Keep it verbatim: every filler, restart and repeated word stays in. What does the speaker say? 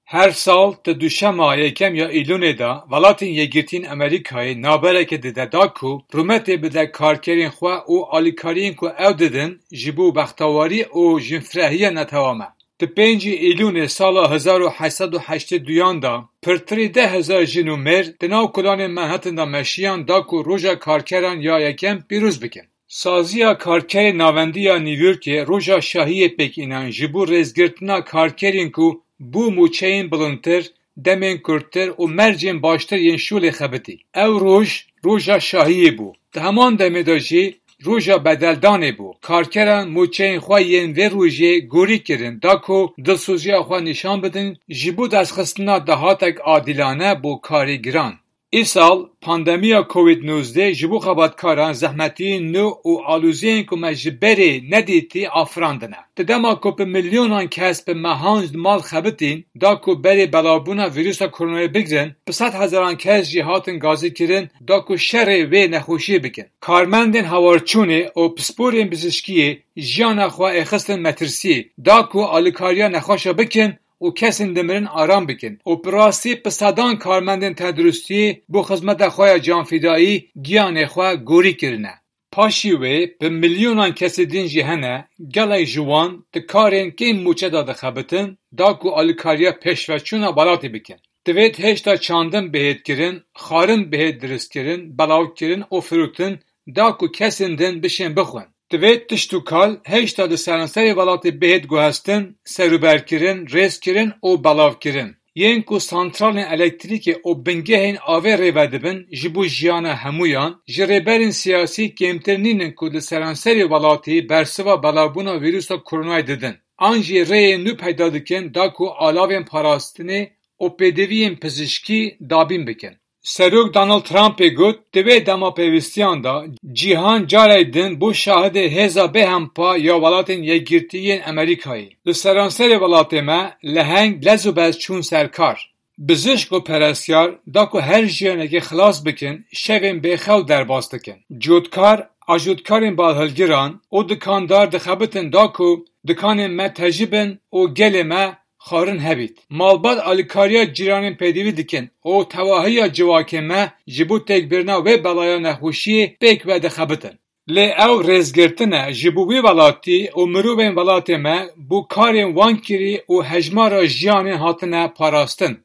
Her sal di duşema yekem ya Îlûnê de Welatên Yekgirtiyên Amerîkayê navbereke dide da ku rûmetê bide karkerên xwe û alîkariyên ku ew didin ji bo bextewarî û jinfirehiya netewam e. Di pêncî Îlûnê sala hezar û heşt sed û heştê duyan de pirtirî deh hezar jin û mêr di nav kolanên Manhattan de meşiyan da ku Roja Karkeran ya yekem pîroz bikin. Saziya Karkerên Navendî ya New Yorkê Roja Şahiyê pêk înan ji bo rêzgirtina karkerên ku bû mûçeyên bilindtir, demên kurttir û mercên baştir yên şolê xebitî. Ew roj, Roja Şahiyê bû. Di heman demê de jî Roja Bedeldanê bû. Karkeran mûçeyên xwe yên vê rojê gorî kirin, da ku dilsoziya xwe nîşan bidin, ji bo destxistina dahatek adîlane bo karê giran. Îsal, pandemiya Covid nozdeh ji bo xebatkaran zehmetiyên nû û aloziyên ku me ji berê nedîtî afirandine. Di dema ku bi milyonan kes bi mehan di mal xebitîn, da ku berê belavbûna vîrusa koronayê bigrin, bi sed hezaran kes jî hatin gazîkirin, da ku şerê vê nexweşiyê bikin. Karmendên hewarçûnê û pisporên pizişkiyê jiyana xwe êxistin metirsiyê, da ku alîkariya nexweşa bikin û kesên dimirin aram bikin û bi rastî bi sedan karmendên tenduristiyê bo xizmeta xwe ya canfidayî giyanê xwe gorî kirine. Paşî wê bi milyonan kesê din jî hene, gelek ji wan di karên kêm mûçe de dixebitin, da ku alîkariya pêşveçûna welatê bikin. Divêt hêşta çandin bihêt kirin, xwarin bihêt diristkirin, belavkirin û firotin, da ku kesên din bişên bixwin. Divêt tişt û kal hêşta di seranserê welatê bihêt guhestin, serûberkirin, rêzkirin û belavkirin. Yên ku santralên elektrîkê û bingehên avê rêve dibin ji bo jiyana hemûyan, ji rêberên siyasî kêmtir nînin ku li seranserê welatî bersiva belavbûna vîrusa koronayê didin. An jî rêyên nû peyda dikin da ku alavên parastinê û pêdiviyên pizişkî dabîn bikin. Serok Donald Trumpê got, di vê dema pêwîstiyan de cîhan carek din bû şahidê hêza bêhempa ya Welatên Yekgirtî yên Amerîkayê. Li seranserê welatê me leheng lez û bez çûn ser kar. Bizişk û perestiyar da ku her jiyanekê xilas bikin, şevên bêxew derbas dikin. Cotkar, ajotkarên balhilgiran û dikandar dixebitin da ku dikanên me tejî bin û gelê me xwarin hebît. Malbat alîkariya cîranên pêdivî dikin û tevahiya civakê me ji bo têkbirina wê belaya nexweşiyê pêk ve dixebitin. Lê ew rêzgirtin e ji bo wî welatî û mirovên welatê me bo karên wan kirî û hejmara jiyanên hatine parastin.